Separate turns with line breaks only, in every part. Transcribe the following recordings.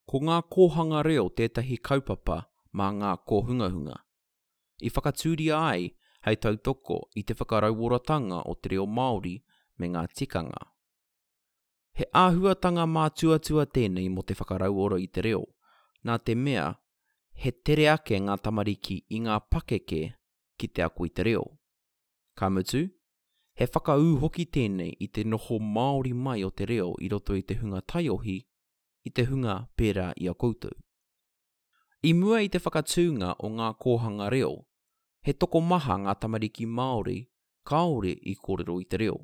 Ko ngā kōhanga reo tētahi kaupapa mā ngā kōhungahunga. I whakatūria ai hei tautoko i te whakarauoratanga o te reo Māori me ngā tikanga. He āhuatanga mātuatua tēnei mō te whakarauora i te reo, nā te mea he tere ake ngā tamariki i ngā pakeke ki te ako i te reo. Ka mutu, he whakaū hoki tēnei i te noho māori mai o te reo i roto i te hunga taiohi, i te hunga pērā i a koutou. I mua i te whakatūnga o ngā kōhanga reo, he tokomaha ngā tamariki Māori kāore i kōrero i te reo,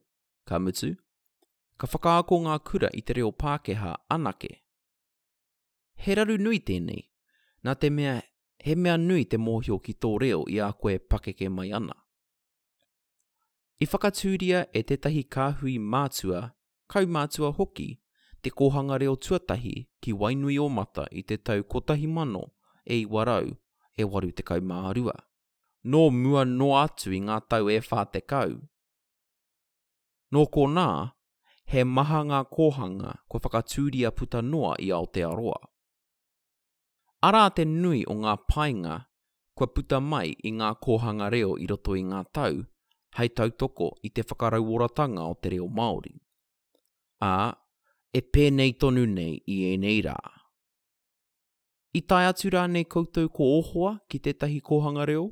ka mutu, ka whakaako ngā kura i te reo Pākehā anake. He raru nui tēnei, nā te mea he mea nui te mōhio ki tō reo i a koe pakeke mai ana. I whakatūria e tētahi kāhui mātua kaumātua hoki, te kōhanga reo tuatahi ki Wainuiōmata i te tau 1982. Nō mua noa atu i ngā tau e 40. Nō konā, he maha ngā kōhanga kua whakatūria puta noa i Aotearoa. Arā te nui o ngā painga kua puta mai i ngā kōhanga reo i roto i ngā tau hei tautoko i te whakarauoratanga o te reo Māori. Ā, e pēnei tonu nei i ēnei rā. I tae atu rānei koutou ko ō hoa ki tētahi kōhanga reo?